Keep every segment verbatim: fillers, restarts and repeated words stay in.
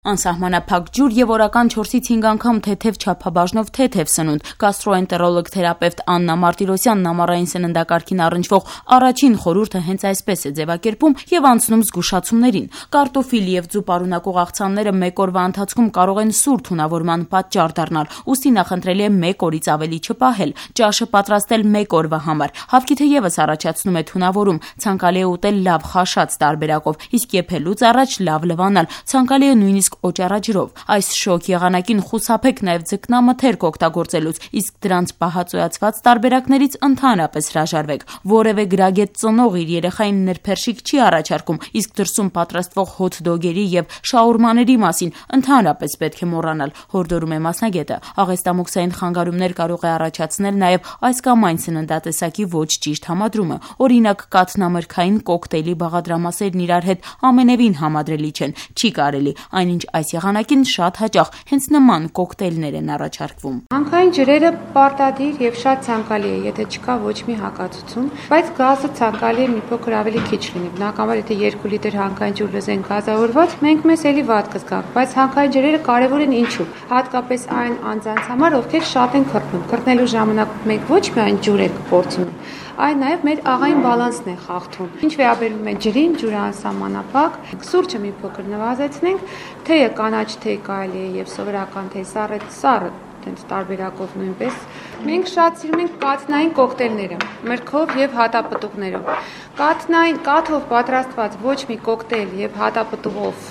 Անսահմանափակ ջուր եւ օրական չորսից հինգ անգամ թեթեւ չափաբաժնով թեթեւ սնունդ։ Գաստրոէնտերոլոգ թերապևտ Աննա Մարտիրոսյանն ամառային սննդակարգին առնչվող առաջին խորհուրդը հենց այսպես է ձևակերպում եւ անցնում զգուշացումներին։ Կարտոֆիլ եւ ձու պարունակող աղցանները մեկ օրվա ընթացքում կարող են սուր թունավորման պատճառ դառնալ, ուստի նախընտրելի է մեկ օրից ավելի չպահել, ճաշը պատրաստել մեկ օրվա համար։ Հավքիթը եւս առաջացնում է թունավորում, ցանկալի է ուտել լավ խաշած տարբերակով, իսկ եփելուց առաջ լավ լվանալ, ցանկալի է նույնիսկ օճառաջրով։ Այս շոկ եղանակին խուսափեք նաև ձկնամթերք օգտագործելուց, իսկ դրանց պահածոյացված տարբերակներից ընդհանրապես հրաժարվեք։ Որևէ գրագետ ծնող իր երեխային նրբերշիկ չի առաջարկում, իսկ դրսում պատրաստվող հոթ-դոգերի եւ շաուրմաների մասին ընդհանրապես պետք է մոռանալ, հորդորում է մասնագետը։ Աղեստամոքսային խանգարումներ կարող է առաջացնել նաև այս կամ այն սննդատեսակի ոչ ճիշտ համադրումը։ Օրինակ, կաթնամրգային կոկտեյլի բաղադրամասերն իրար հետ ամենևին համադրելի չեն, չի կարելի, այնինչ այս եղանակին շատ հաճախ հենց նման կոկտեյլներ են առաջարկվում։ Հանքային ջրերը պարտադիր եւ շատ ցանկալի է, եթե չկա ոչ մի հակացություն, բայց գազը ցանկալի է մի փոքր ավելի քիչ լինի։ Բնականաբար, եթե երկու լիտր հանքային ջուր լզենք գազավորված, մենք մեզ էլի վատ կզգանք, բայց հանքային ջրերը կարեւոր են ինչու։ Հատկապես այն անձանց համար, ովքեր շատ են քրտնում։ Քրտնելու ժամանակ մենք ոչ միայն ջուր ենք կորցնում, այլ նաև մեր աղային բալանսն է խախտվում։ Ինչ վերաբերում է ջրին, ջուրը անսահմանափակ, սուրճը մի փոքր նվազեցնենք, թեյը կանաչ թեյ կարելի է եւ սովորական թեյ սառը սառը տենց տարբերակով նույնպես։ Մենք շատ սիրում ենք կաթնային կոկտեյլները, մրգով եւ հատապտուղներով։ Կաթնային կաթով պատրաստված ոչ մի կոկտեյլ եւ հատապտուղով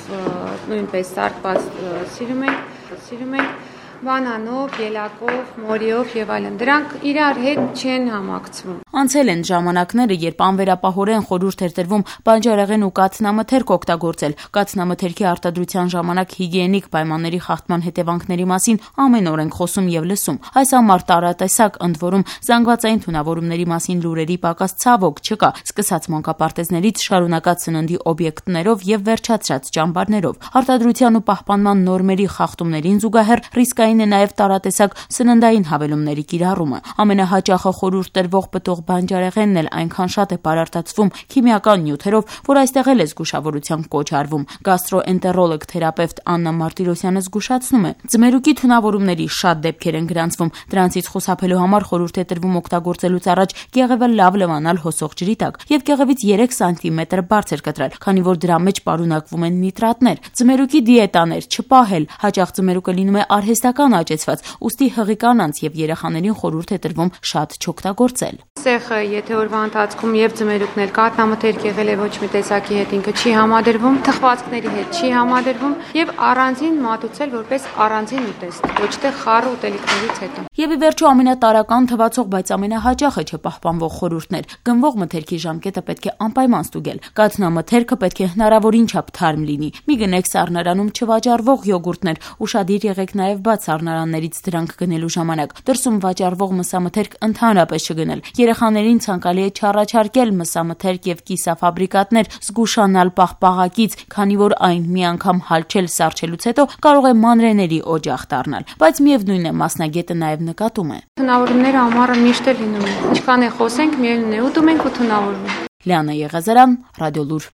նույնպես սարքված սիրում ենք, սիրում ենք բանանով, ելակով, մորիով եւ այլն։ Դրանք իրար հետ չեն համակցվում։ Անցել են ժամանակները, երբ անվերապահորեն խորհուրդ էր տրվում բանջարեղեն ու կաթնամթերք օգտագործել։ Կաթնամթերքի արտադրության ժամանակ հիգիենիկ պայմանների խախտման հետևանքների մասին ամեն օր ենք խոսում եւ լսում։ Այս ամառ տարատեսակ, ընդ որում զանգվածային թունավորումների մասին լուրերի պակաս ցավոք չկա, սկսած մանկապարտեզներից շարունակած սննդի օբյեկտներով եւ վերջացրած ճամբարներով։ Արտադրության ու պահպանման նորմերի խախտումներին զուգահեռ ռիսկային է նաև տարատեսակ սննդային հավելումների կիրառումը։ Ամենահաճախը խորհուրդ տրվող պտուղ բանջարեղենն էլ այնքան շատ է պարարտացվում քիմիական նյութերով, որ այստեղ էլ է զգուշավորության կոչ արվում։ Գաստրոէնտերոլոգ թերապևտ Աննա Մարտիրոսյանը զգուշացնում է, ձմերուկի թունավորումների շատ դեպքեր են գրանցվում։ Դրանցից խուսափելու համար խորհուրդ է տրվում օգտագործելուց առաջ գեղևը լավ լվանալ հոսող ջրի տակ եւ գեղևից երեք սանտիմետր բարձր կտրել, քանի որ դրա մեջ պարունակվում են նիտրատներ։ Ձմերուկի դիետաներ չպահել, հաճախ ձմերուկը լինում է արհեստական աճեցված, ուստի հղի կանանց եւ երեխաներին խորհուրդ է տրվում շատ չօգտագործել։ Սեխը, եթե օրվա ընթացքում եւ ձմերուկն էլ կաթնամթերք եղել է ոչ մի տեսակի հետ ինքը չի համադրվում, թխվածքների հետ չի համադրվում եւ առանձին մատուցել որպես առանձին ուտեստ, ոչ թե խառը ուտելիքներից հետո։ Եվ ի վերջո ամենատարական թվացող, բայց ամենահաճախը չպահպանվող խորհուրդներ։ Գնվող մթերքի ժամկետը պետք է անպայման ստուգել։ Կաթնամթերքը պետք է հնարավորին չափ թարմ լինի։ Մի գնեք սառնարանում չվաճառվող յոգուրտներ, ուշադիր եղեք նաեւ բաց սառնարաններից դրանք գնելու ժամանակ։ Դրսում վաճառվող մսամթերք ընդհանրապես չգնել։ Երեխաներին ցանկալի է չառաջարկել մսամթերք եւ կիսաֆաբրիկատներ, զգուշանալ պաղպաղակից, քանի որ այն մի անգամ հալչել սառչելուց հետո կարող է մանրեների օջախ դառնալ։ Բայց միևնույն է, մասնագետը նաեւ նկատում է. Թունավորումները ամառը միշտ էլ լինում են։ Ինչքան է խոսենք, միևնույն է, ուտում ենք ու թունավորում։ Լիանա Եղազարյան, Ռադիոլուր։